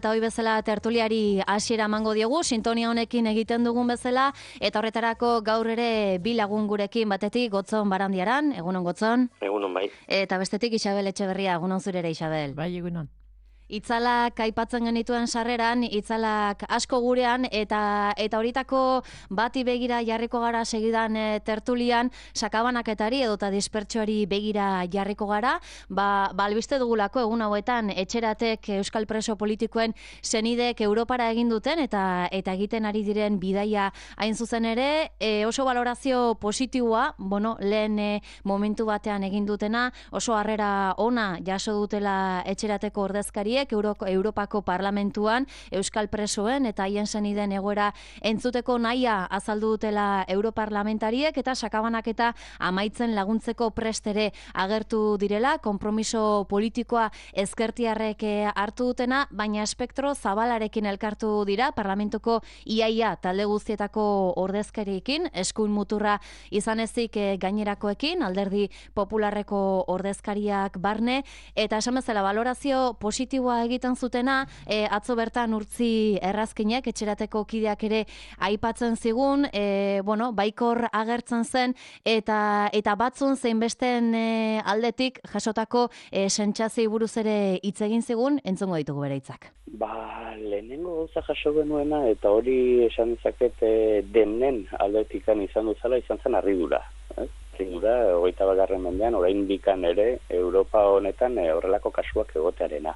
Eta hoi bezala tertuliari hasiera emango diogu, sintonia honekin egiten dugun bezala, eta horretarako gaur ere bi lagun gurekin batetik Gotzon Barandiaran, egunon Gotzon. Egunon bai. Eta bestetik Isabel Etxeberria, egunon zure ere Isabel. Bai, egunon. Itzalak aipatzen genituen sarreran, itzalak asko gurean, eta horitako bati begira jarriko gara segidan tertulian, sakabanaketari edota dispertsioari begira jarriko gara, albiste dugulako egun hauetan etxeratek euskal preso politikoen senidek Europara egin duten, eta egiten ari diren bidaia hain zuzen ere, oso balorazio positiboa, lehen momentu batean egin dutena, oso harrera ona jaso dutela etxerateko ordezkariek, Europako Parlamentuan euskal presoen eta haien senideen egoera entzuteko nahia azaldu dutela europarlamentariek, eta sakabanaketa amaitzen laguntzeko prestere agertu direla, konpromiso politikoa ezkertiarrek hartu dutena, baina espektro zabalarekin elkartu dira parlamentuko iaia talde guztietako ordezkariekin, eskuin muturra izan ezik gainerakoekin, alderdi popularreko ordezkariak barne, eta esan bezala balorazio positiboa egiten zutena, atzo bertan Urtzi Errazkinek etxerateko kideak ere aipatzen zigun, baikor agertzen zen, eta batzun zein besten aldetik jasotako sentsazioei buruz ere hitz egin zigun, entzungo ditugu bere hitzak. Lehenengo gauza jaso genuena, eta hori esan dezaket denen aldetikan izan zen harridura. Harridura, 21. mendean, oraindikan ere, Europa honetan horrelako kasuak egotearena.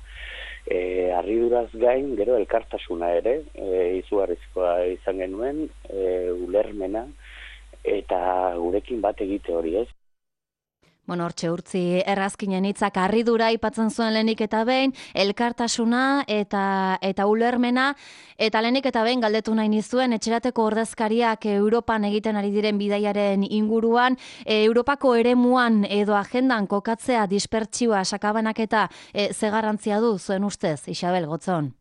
Harriduraz gain, gero elkartasuna ere, izugarrizkoa izan genuen, ulermena, eta gurekin bat egite hori, ez? Hortxe Urtzi Errazkinen hitzak harridura aipatzen zuen lehenik eta behin, elkartasuna eta ulermena, eta lehenik eta behin galdetu nahi nizuen etxerateko ordezkariak Europan egiten ari diren bidaiaren inguruan, Europako eremuan edo agendan kokatzea dispertsioa sakabanaketa ze garrantzia du zuen ustez, Isabel Gotzon?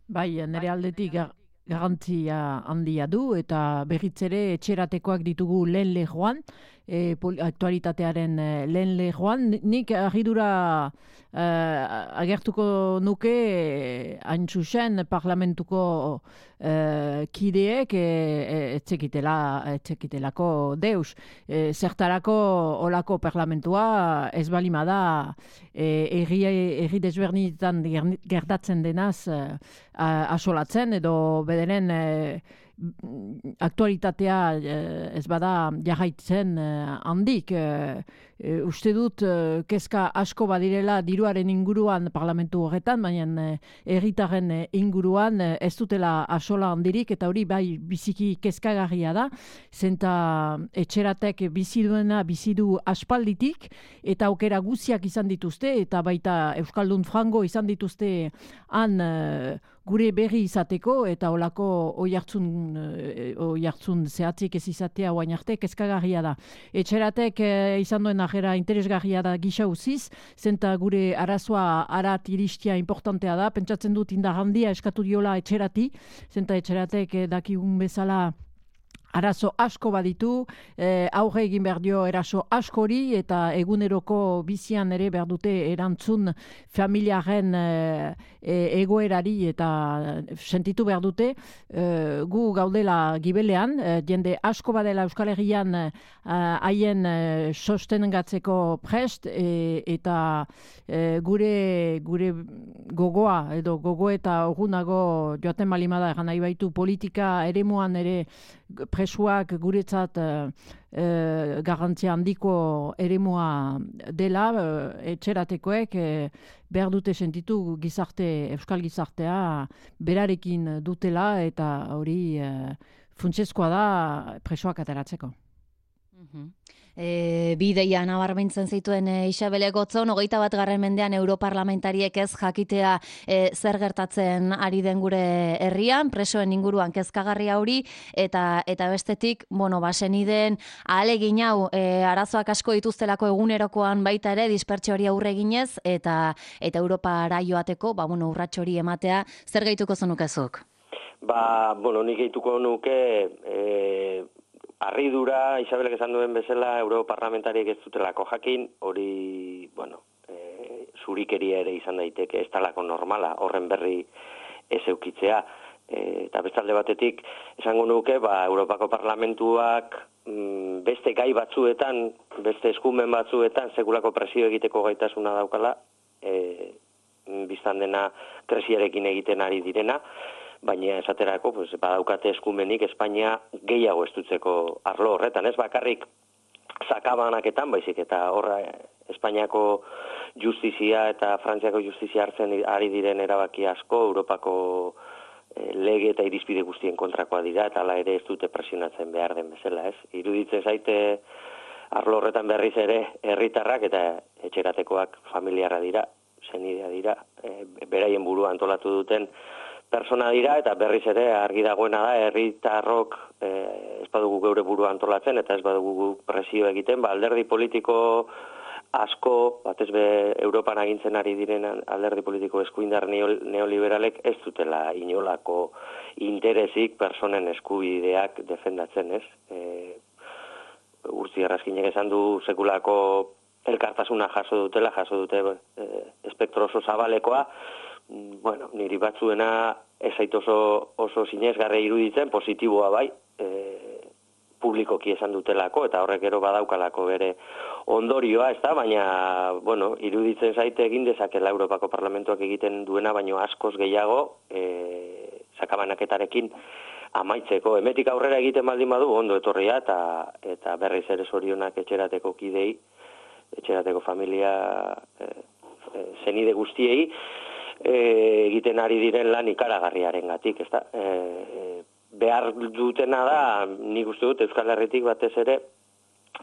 Bai, nire aldetik garrantzia handia du, eta berriz ere etxeratekoak ditugu lehen lehoan, aktualitatearen lehen lehoan. Nik harridura agertuko nuke hain zuzen parlamentuko kideek etzekitelako deus. Zertarako olako parlamentua ez balima da erri desberdinetan gertatzen denaz asolatzen, edo bederen aktualitatea ez bada jarraitzen handik. Uste dut kezka asko badirela diruaren inguruan parlamentu horretan, baina herritarren inguruan ez dutela asola handirik, eta hori bai biziki kezkagarria da, zenta etxeratek bizi du aspalditik, eta aukera guziak izan dituzte, eta baita Euskaldun frango izan dituzte han gure berri izateko, eta olako oihartzun zehatzik ez izatea oain arte kezkagarria da. Etxeratek izan duen ajera interesgarria da gisa uziz, zenta gure arazoa arat iristia importantea da, pentsatzen dut indar handia eskatu diola etxerati, zenta etxeratek dakigun bezala arazo asko baditu, aurre egin behar dio eraso askori, eta eguneroko bizian ere behar dute erantzun familiaren egoerari, eta sentitu behar dute gu gaudela gibelean, jende asko badela Euskal Herrian haien sostengatzeko prest, eta gure gogoa, edo gogo eta orgunago joaten balimada egan nahi baitu politika eremuan ere presuak guretzat garrantzia handiko eremua dela, etxeratekoek behar dute sentitu euskal gizartea berarekin dutela, eta hori funtsezkoa da presoak ateratzeko. Bideia nabarmentzen zituen Isabel Gotzon, 21. mendean europarlamentariek ez jakitea zer gertatzen ari den gure herrian, presoen inguruan kezkagarria hori, eta bestetik, senideen ahalegin hau arazoak asko dituztelako egunerokoan baita ere, dispertsio hori aurre eginez, eta Europara joateko, urrats hori ematea, zer gehituko zenukezuk? Nik gehituko nuke harridura, Isabelek esan duen bezala, europarlamentariek ez dutelako jakin, hori, zurikeria ere izan daiteke, ez talako normala, horren berri ez eukitzea. Eta bestalde batetik, esango nuke, Europako Parlamentuak beste gai batzuetan, beste eskumen batzuetan, sekulako presio egiteko gaitasuna daukala, biztan dena krisiarekin egiten ari direna, baina esaterako badaukate eskumenik Espainia gehiago estutzeko arlo horretan, ez bakarrik sakabanaketan, baizik eta horra Espainiako justizia eta Frantziako justizia hartzen ari diren erabaki asko, Europako lege eta irizpide guztien kontrakoa dira, eta hala ere ez dute presionatzen behar den bezala, ez? Iruditzen zaite arlo horretan berriz ere herritarrak eta etxeratekoak familiarra dira, senidea dira, beraien burua antolatu duten persona dira, eta berriz ere argi dagoena da, herritarrok ez badugu geure burua antolatzen, eta ez badugu presio egiten, alderdi politiko asko, batez be Europan agintzen ari diren alderdi politiko eskuindar neoliberalek ez dutela inolako interesik personen eskubideak defendatzen, ez? Urtzi Erraskinek esan du sekulako elkartasuna jaso dute espektro oso zabalekoa, bueno, niri batzuena ez zait oso sinesgarria iruditzen, positiboa bai, publikoki esan dutelako, eta horrek gero badaukalako bere ondorioa, ez da, baina, bueno, iruditzen zaite egin dezakela Europako Parlamentuak egiten duena, baino askoz gehiago, sakabanaketarekin amaitzeko. Hemetik aurrera egiten baldin badu, ondo etorria, eta berriz ere zorionak etxerateko kidei, etxerateko familia zenide guztiei, egiten ari diren lan ikaragarriaren gatik, ez da. Behar dutena da, nik uste dut Euskal Herritik batez ere,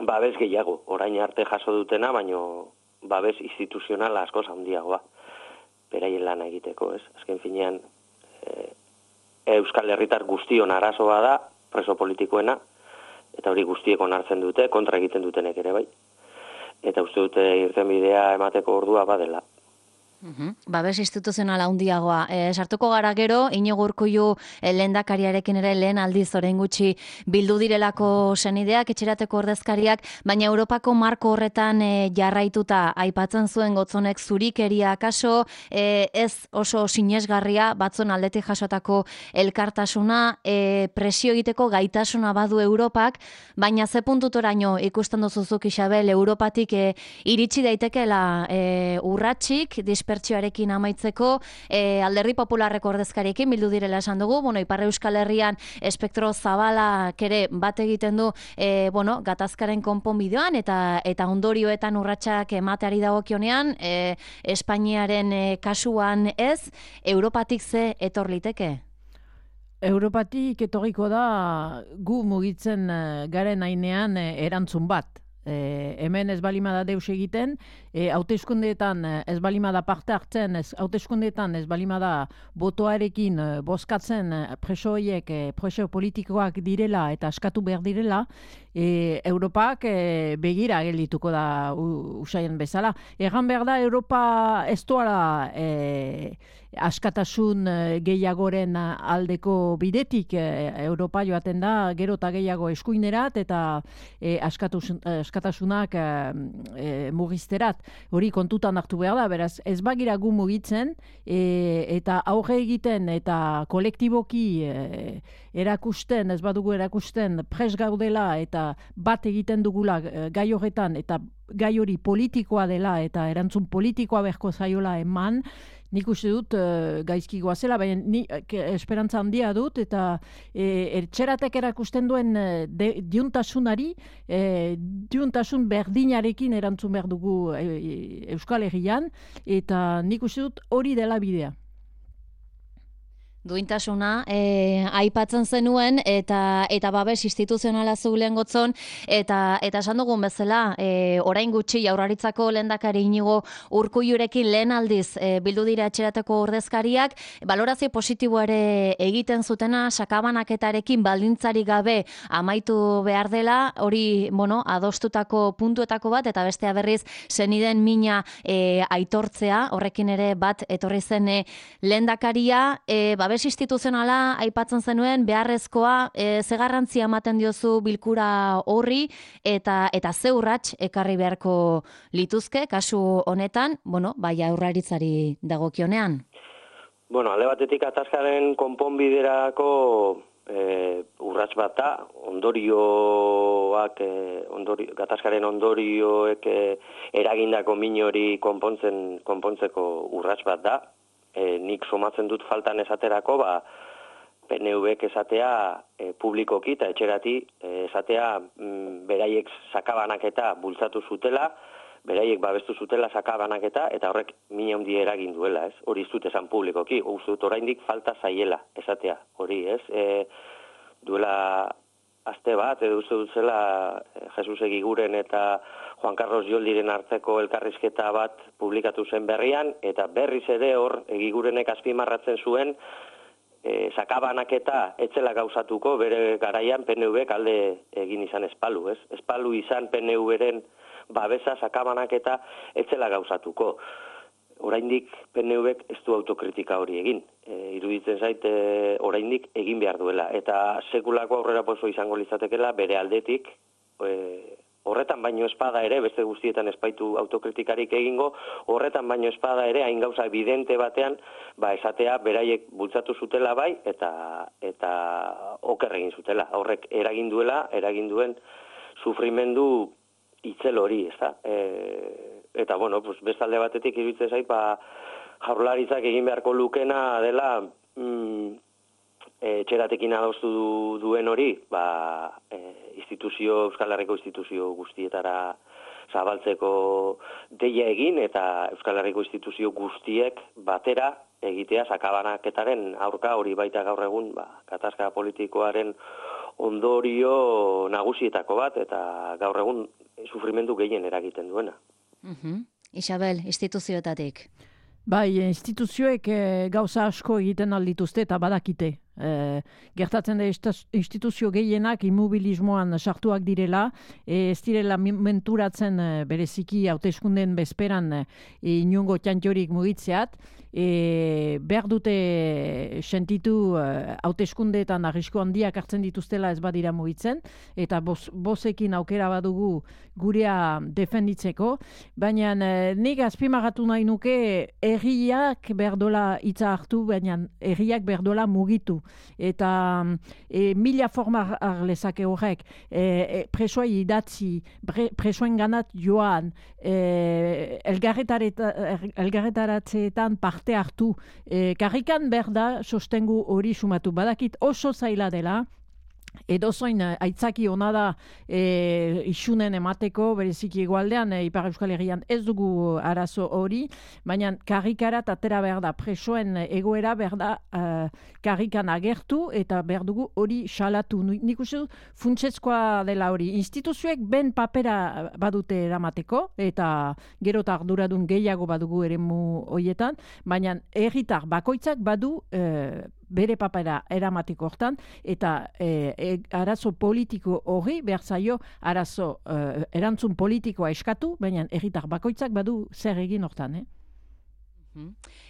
babes gehiago, orain arte jaso dutena, baino babes instituzionala askoz handiagoa, beraien lana egiteko, ez? Azken finean, Euskal Herritar guztion arazoa da, preso politikoena, eta hori guztiek onartzen dute, kontra egiten dutenek ere bai. Eta uste dute irtenbidea emateko ordua badela. Babes instituzionala handiagoa. Sartuko gara gero, Iñigo Urkullu lehendakariarekin ere lehen aldiz orain gutxi bildu direlako senideak, etxerateko ordezkariak, baina Europako marko horretan jarraituta aipatzen zuen Gotzonek zurikeria kaso, ez oso sinesgarria batzon aldetik jasotako elkartasuna, presio egiteko gaitasuna badu Europak, baina ze puntutoraino ikusten duzuzuk Isabel, Europatik iritsi daitekeela urratsik, dispertsioarekin amaitzeko, alderdi popularreko ordezkariekin bildu direla esan dugu, Ipar Euskal Herrian espektro zabalak ere bat egiten du, gatazkaren konponbideoan eta ondorioetan urratsak emateari dagokionean, Espainiaren kasuan ez, Europatik ze etor liteke? Europatik etorriko da gu mugitzen garen ainean erantzun bat. Hemen ez balimada deus egiten, hauteskundeetan ez balimada parte hartzen, hauteskundeetan ez balimada botoarekin bozkatzen presoiek, preso politikoak direla eta askatu behar direla, Europak begira geldituko da usaien bezala. Egan behar da, Europa ez doala askatasun gehiagoren aldeko bidetik, Europa joaten da gero eta gehiago eskuinerat eta askatasunak mugizterat. Hori kontutan hartu behar da, beraz ez bagira gu mugitzen eta aurre egiten eta kolektiboki erakusten, ez badugu erakusten pres gaudela eta bat egiten dugula gai horretan eta gai hori politikoa dela eta erantzun politikoa berko zaiola eman, nik uste dut gaizki goazela, baina ni esperantza handia dut eta etxeratek erakusten duen diuntasunari, diuntasun berdinarekin erantzun behar dugu Euskal Herrian eta nik uste dut hori dela bidea. Duintasuna aipatzen zenuen eta babes instituzionala zulen Gotzon eta esan dugun bezala orain gutxi Jaurlaritzako lehendakari Iñigo Urkullurekin lehen aldiz bildu dira etxerateko ordezkariak, balorazio positiboa ere egiten zutena, sakabanaketarekin baldintzarik gabe amaitu behar dela, hori adostutako puntuetako bat eta bestea berriz seniden mina aitortzea, horrekin ere bat etorri zen lehendakaria, babes instituzionala aipatzen zenuen beharrezkoa, ze garrantzia ematen diozu bilkura horri eta ze urrats ekarri beharko lituzke kasu honetan, Jaurlaritzari dagokionean. Bueno, alde batetik gatazkaren konponbiderako urrats bat da, gatazkaren ondorioek eragindako min hori konpontzeko urrats bat da. Nik somatzen dut faltan esaterako, PNV-ek esatea publikoki eta etxerati esatea beraiek sakabanaketa bultzatu zutela, beraiek babestu zutela sakabanaketa, eta horrek min handi eragin duela, ez? Hori ez dut esan publikoki, uste dut oraindik falta zaiela esatea, hori, ez? Duela aste bat, edo uste dut zela Jesus Egiguren eta Juan Carlos Joldiren arteko elkarrizketa bat publikatu zen berrian, eta berriz ere hor Egigurenek azpimarratzen zuen sakabanaketa etzela gauzatuko bere garaian PNV-ek alde egin izan espalu, ez? Espalu izan PNV-ren babesa sakabanaketa etzela gauzatuko. Oraindik PNV-ek ez du autokritika hori egin. Iruditzen zait oraindik egin behar duela. Eta sekulako aurreraposo izango litzatekeela bere aldetik, horretan baino espada ere, beste guztietan espaitu autokritikarik egingo, horretan baino espada ere, hain gauza evidente batean, esatea beraiek bultzatu zutela bai, eta oker egin zutela. Horrek eragin duen sufrimendu itzel hori, ez da? Eta, bueno, bestalde batetik iruditzen zait, Jaurlaritzak egin beharko lukena dela etxeratekin adostu duen hori, Euskal Herriko instituzio guztietara zabaltzeko deia egin, eta Euskal Herriko instituzio guztiek batera egitea sakabanaketaren aurka, hori baita gaur egun, gatazka politikoaren ondorio nagusietako bat, eta gaur egun sufrimendu gehien eragiten duena. Isabel, instituzioetatik. Bai, instituzioek gauza asko egiten aldituzte eta badakite. Gertatzen da instituzio gehienak immobilismoan sartuak direla, ez direla menturatzen bereziki hauteskundeen bezperan inongo txantxorik mugitzeat, behar dute sentitu hauteskundeetan arrisko handiak hartzen dituztela ez badira mugitzen, eta bozekin aukera badugu gurea defenditzeko, baina nik azpimarratu nahi nuke herriak behar dola hitza hartu, baina herriak behar dola mugitu. Eta mila forma arlezake horrek, presoai idatzi, presoen ganat joan, elgarretaratzeetan parte hartu, karrikan behar da sostengu hori sumatu. Badakit oso zaila dela, edozoin aitzaki ona da isunen emateko, bereziki egualdean, Ipar Euskal Herrian ez dugu arazo hori, baina karrikarat atera behar da, presoen egoera behar da karrikan agertu, eta behar dugu hori salatu. Nik uste dut funtsezkoa dela hori. Instituzioek ben papera badute eramateko, eta gero eta arduradun gehiago badugu eremu horietan, baina herritar bakoitzak badu bere papera eramatiko hortan, eta arazo politiko hori behar zaio arazo erantzun politikoa eskatu, baina herritar bakoitzak badu zer egin hortan,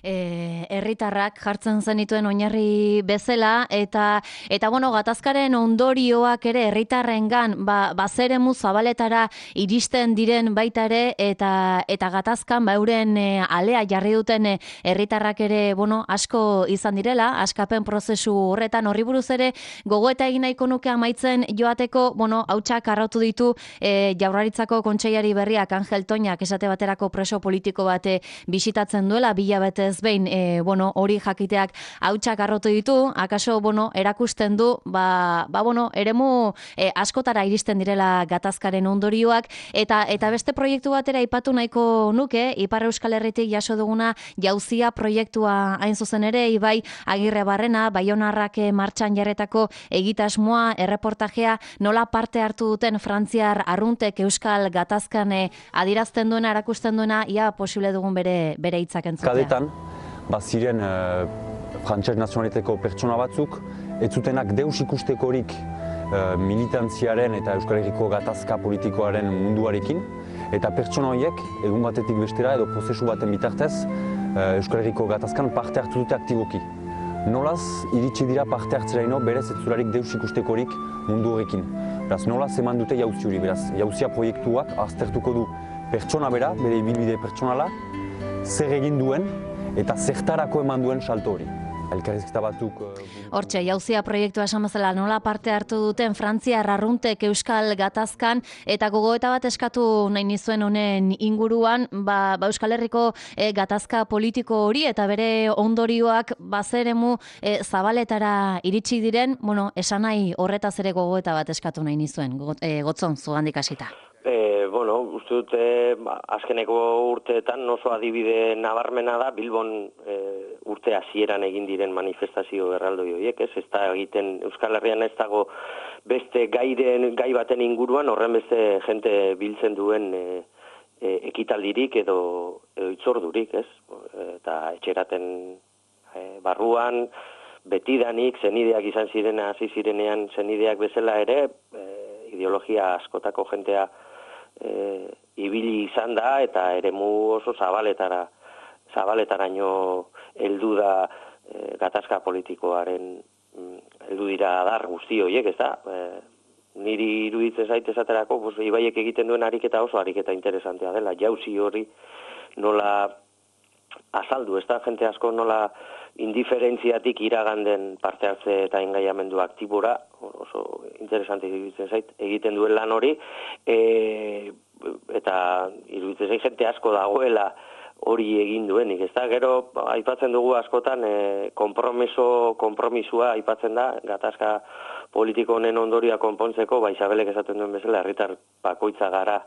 herritarrak jartzen zenituen oinarri bezala, eta bueno, gatazkaren ondorioak ere herritarrengan bazeremu zabaletara iristen diren baita ere, eta gatazkan euren alea jarri duten herritarrak ere, bueno, asko izan direla, askapen prozesu horretan. Horri buruz ere gogoeta egin nahiko nuke amaitzen joateko, bueno, hautsak arrautu ditu Jaurlaritzako kontseilari berriak Angel Toñak esate baterako preso politiko bat bisitatzen duela, bilabetez behin, bueno, hori jakiteak hautsak arrotu ditu, akaso, bueno, erakusten du, bueno, eremu askotara iristen direla gatazkaren ondorioak, eta beste proiektu batera aipatu nahiko nuke, Ipar Euskal Herritik jaso duguna jauzia proiektua hain zuzen ere, Ibai Agirrebarrena, Baionarrak martxan jarretako egitasmoa, erreportajea, nola parte hartu duten frantziar arruntek Euskal gatazkan adirazten duena, erakusten duena, ia posible dugun bere hitzak entzutea. Kadetan, ziren frantses nazionaliteko pertsona batzuk, ez zutenak deus ikustekorik militantziaren eta Euskal Herriko gatazka politikoaren munduarekin, eta pertsona horiek, egun batetik bestera edo prozesu baten bitartez, Euskal Herriko gatazkan parte hartu dute aktiboki. Nolaz, iritsi dira parte hartzeraino berez ez zularik deus ikustekorik mundu horrekin. Beraz, nolaz eman dute jauzi hori, beraz, jauzia proiektuak aztertuko du pertsona bera, bere ibilbide pertsonala, zer egin duen, eta zertarako eman duen salto hori. Elkarrizketa batzuk... Hortxe, jauzia proiektua esan bezala nola parte hartu duten Frantzia arruntek Euskal Gatazkan eta gogoeta bat eskatu nahi nizuen honen inguruan, Euskal Herriko gatazka politiko hori eta bere ondorioak bazeremu zabaletara iritsi diren, esan nahi horretaz ere gogoeta bat eskatu nahi nizuen, Gotzon, zugandik hasita. Uste dute, azkeneko urteetan oso adibide nabarmena da, Bilbon urte hasieran egin diren manifestazio erraldoi horiek, ez da egiten Euskal Herrian ez dago beste gai baten inguruan, horren beste jente biltzen duen ekitaldirik edo itzordurik, ez? Eta etxeraten barruan, betidanik, zenideak izan ziren, hasi zirenean zenideak bezala ere, ideologia askotako jentea ibili izan da eta eremu oso zabaletaraino heldu da gatazka politikoaren heldu dira adar guzti horiek, ez da? Niri iruditzen zait esaterako, Ibaiek egiten duen ariketa oso ariketa interesantea dela, jauzi hori nola azaldu, ez da? Jente asko nola indiferentziatik iraganden parte hartze eta engaiamendu aktibora, oso interesante iruditzen zait, egiten duen lan hori, eta iruditzen zait jente asko dagoela hori egin duenik, ez da? Gero, aipatzen dugu askotan, konpromisua aipatzen da, gatazka politiko honen ondoria konpontzeko, Isabelek esaten duen bezala, herritar bakoitza gara,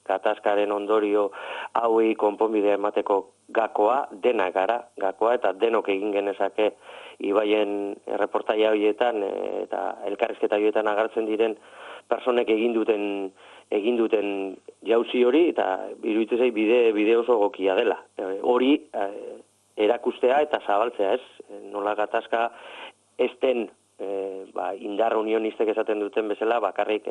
gatazkaren ondorio hauei konponbidea emateko gakoa, dena gara gakoa, eta denok egin genezake Ibaien erreportaia horietan eta elkarrizketa horietan agertzen diren personek egin duten jauzi hori, eta iruditzen zait bide oso egokia dela. Hori erakustea eta zabaltzea, ez? Nola gatazka ez den indar unionistek esaten duten bezala bakarrik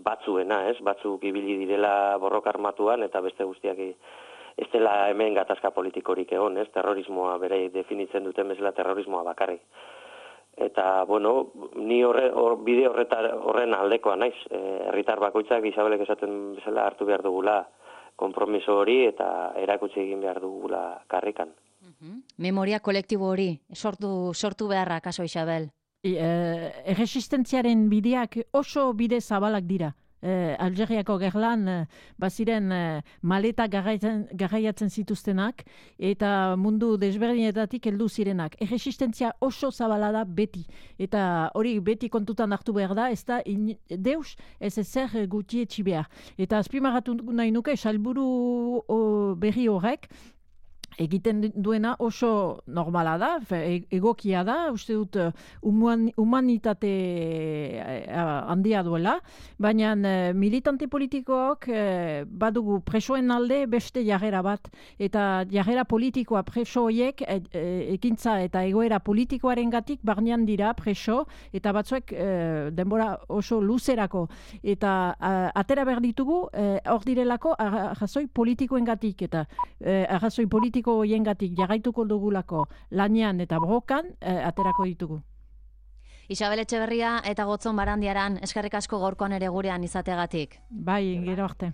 batzuena, ez? Batzuk ibili direla borroka armatuan eta beste guztiak ez dela hemen gatazka politikorik egon, ez? Terrorismoa bere definitzen duten bezala terrorismoa bakarrik. Eta, ni bide horren aldekoa naiz. Herritar bakoitzak Isabelek esaten bezala hartu behar dugula konpromiso hori eta erakutsi egin behar dugula karrikan. Memoria kolektibo hori, sortu beharra, kaso Isabel? Erresistentziaren bideak oso bide zabalak dira. Algeriako gerlan baziren maleta garraiatzen zituztenak eta mundu desberdinetatik heldu zirenak. Erresistentzia oso zabala da beti. Eta hori beti kontutan hartu behar da, ez da deus ez ezer gutietxi behar. Eta azpimarratu nahi nuke, salburu berri horrek, egiten duena oso normala da, egokia da, uste dut humanitate handia duela, baina militante politikoak badugu presoen alde beste jarrera bat, eta jarrera politikoa preso horiek ekintza eta egoera politikoaren gatik barnean dira preso, eta batzuek denbora oso luzerako, eta atera behar ditugu hor direlako arrazoi politikoen gatik, eta arrazoi politiko hoiengatik jarraituko dugulako lanean eta borrokan aterako ditugu. Isabel Etxeberria eta Gotzon Barandiaran eskerrik asko gaurkoan ere gurean izateagatik. Bai, gero arte.